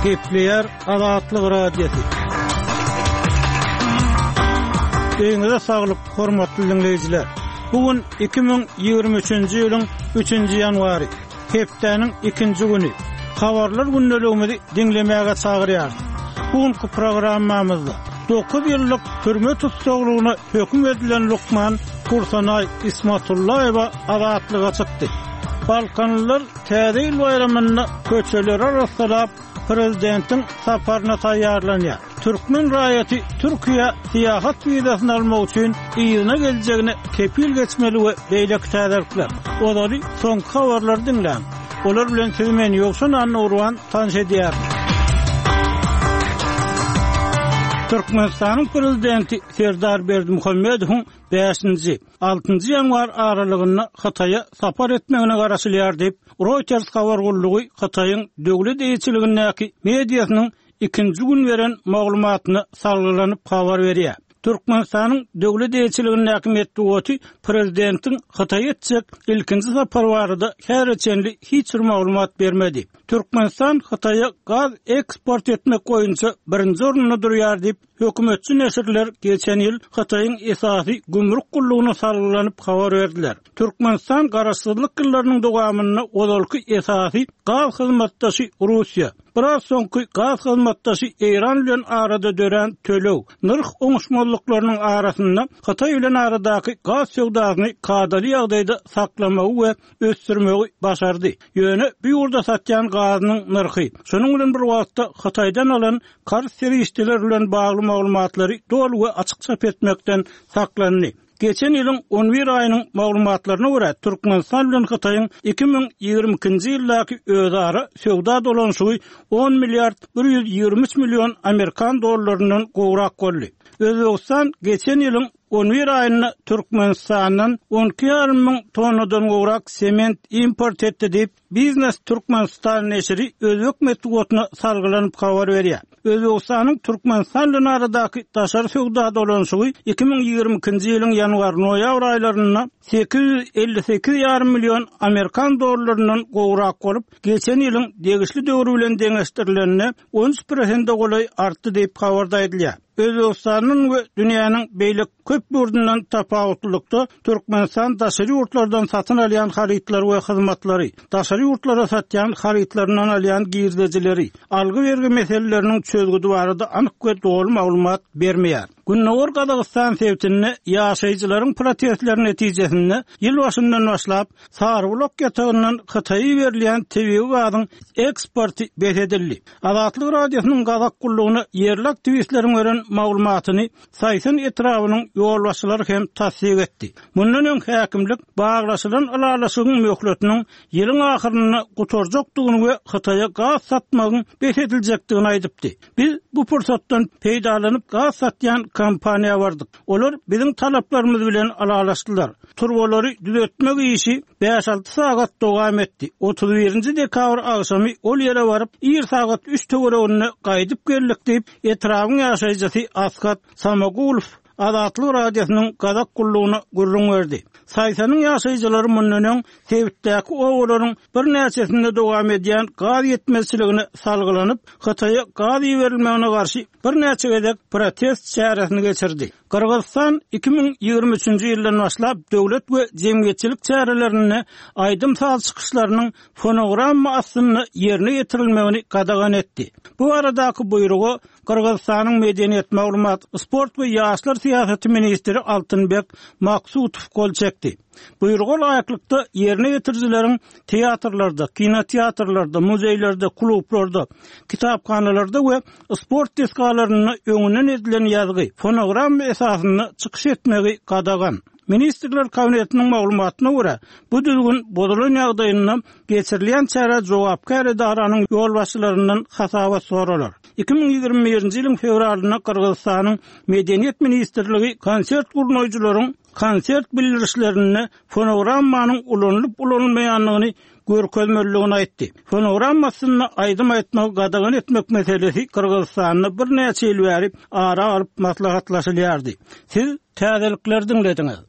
Gepleýär Azatlyk Radiosy. Öýüňize saglyk, hormatly diňleýjiler! Bu gün 2023-nji ýylyň üçünji ýanwary, hepdäniň ikinji güni. Habarlar gündeligimizi diňlemäge çagyrýarys. Bu günki programmamyzda dokuz ýyllyk türme tussaglygyna höküm edilen lukman Hursanaý Ismatullaýewa azatlyga çykdy. Balkanlylar Täze ýyl baýramynda köçeleri arassalap, prezidentiň saparyna taýýarlanýar. Türkmen raýaty Türkiýä syýahat wizasyny almak üçin yzyna geljegine kepil geçmeli we beýleki täzelikler. Ozaly soňky habarlary diňläň. Olar bilen sizi men Ýowşan Annagurban tanyş edýärin. Türkmenistanyň prezidenti Serdar Berdimuhamedowyň bäşinji, altynjy ýanwar aralygynda Hytaýa sapar etmegine garaşylýar diýip, Reuters habar gullugy Hytaýyň döwlet eýeçiligindäki mediasynyň ikinji gün beren maglumatyna salgylanyp habar berýär. Türkmenistanyň döwlet eýeçiligindäki metbugaty prezidentiň Hytaýa etjek ilkinji sapary barada häzire çenli hiç bir maglumat bermedi. Türkmenistan Hytaýa gaz eksport etmek boýunça birinji orunda durýar diýip, Hökümetçi neşirler geçen ýyl Hytaýyň esasy gümrük gullugyna salgylanyp habar berdiler. Türkmenistan garaşsyzlyk ýyllarynyň dowamynda ozalky esasy gaz hyzmatdaşy Russiýa, biraz soňky gaz hyzmatdaşy Eýran bilen arada dörän töleg, nyrh oňuşmazlyklarynyň arasynda Hytaý bilen aradaky gaz söwdasyny kadaly ýagdaýda saklamagy we ösdürmegi başardy. Ýöne bu ýurda satýan gazynyň nyrhy, şonuň bilen bir wagtda Hytaýdan alan karz serişdeleri bilen bagly maglumatlary doly we açyk çap etmekden saklandy. Geçen ýylyň on bir aýynyň maglumatlaryna görä, Türkmenistan bilen Hytaýyň 2022-nji ýyldaky özara söwda dolanyşygy on milliard 123 million amerikan dollaryndan gowrak boldy. Özbegistan geçen ýylyň on bir aýynda Türkmenistandan on iki ýarym müň tonnadan gowrak sement import etdi diýip, Biznes Türkmenistan neşiri özbek metbugatyna salgylanyp habar berýär. Özbegistanyň Türkmenistan bilen aradaky daşary söwda dolanyşygy 2022-nji ýylyň ýanwar-noýabr aýlarynda 858 ýarym million amerikan dollaryndan gowrak bolup, geçen ýylyň degişli döwri bilen deňeşdirilende 13 prosente golaý artdy diýip, habarda aýdylýar. Özbegistandan we dünýäniň beýleki köp ýurdundan tapawutlylykda, Türkmenistan daşary ýurtlardan satyn alýan harytlary we hyzmatlary, daşary ýurtlara satýan harytlaryndan alýan girdejileri, algy-bergi meseleleriniň çözgüdi barada anyk we doly maglumat bermeýär. Gündogar Gazagystan sebitinde ýaşaýjylaryň protestleri netijesinde ýyl başyndan başlap, Sarybulak ýatagyndan Hytaýa iberilýän tebigy gazyň eksporty bes edildi. Azatlyk Radiosynyň Gazak gullugyna ýerli aktiwistleriň beren maglumatyny Saýsan etrabynyň ýolbaşçylary hem tassyk etdi. Mundan öň häkimlik baglaşylan ylalaşygyň möhletiniň ýylyň ahyrynda gutarjakdygyny we Hytaýa gaz satmagyň bes ediljekdigini aýdypdy. Biz bu pursatdan peýdalanyp gaz satýan kompaniýa bardyk. Olar biziň talaplarymyz bilen ylalaşdylar. Turbalary düzetmek işi bäş-alty sagat dowam etdi. 31-nji dekabr agşamy ol ýere baryp, ir sagat üç töwereginde gaýdyp geldik diýip, etrabyň ýaşaýjysy Askat Samagulow Azatlyk Radiosynyň Gazak gullugyna gürrüň berdi. Saýsanyň ýaşaýjylary mundan öň sebitdäki obalaryň birnäçesinde dowam edýän gaz ýetmezçiligine salgylanyp, Hytaýa gaz iberilmegine garşy birnäçe gezek protest çäresini geçirdi. Gyrgyzystan 2023-nji ýyldan başlap döwlet we jemgyýetçilik çärelerinde aýdym-saz çykyşlarynyň fonogramma astynda ýerine ýetirilmegini gadagan etdi. Bu baradaky buýruga Gyrgyzystanyň medeniýet, maglumat, sport we ýaşlar syýasaty ministri Altynbek Maksutow gol çekdi. Buýruga laýyklykda, ýerine ýetirijileriň teatrlarda, kinoteatrlarda, muzeýlerde, klublarda, kitaphanalarda we sport desgalarynda öňünden edilen ýazgy, fonogramma esasynda çykyş etmegi gadagan. Ministrler Kabinetiniň maglumatyna görä, bu düzgün bozulan ýagdaýynda geçirilýän çärä jogapkär edaranyň ýolbaşçylaryndan hasabat soralar. 2021-nji ýylyň fewralynda Gyrgyzystanyň Medeniýet ministrligi konsert gurnaýjylaryň konsert bildirişlerinde fonogrammanyň ulanylyp-ulanylmaýandygyny görkezmelidigini aýtdy. Fonogramma astynda aýdym aýtmagy gadagan etmek meselesi Gyrgyzystanda birnäçe ýyl bäri ara alyp maslahatlaşylýardy. Siz täzelikleri diňlediňiz.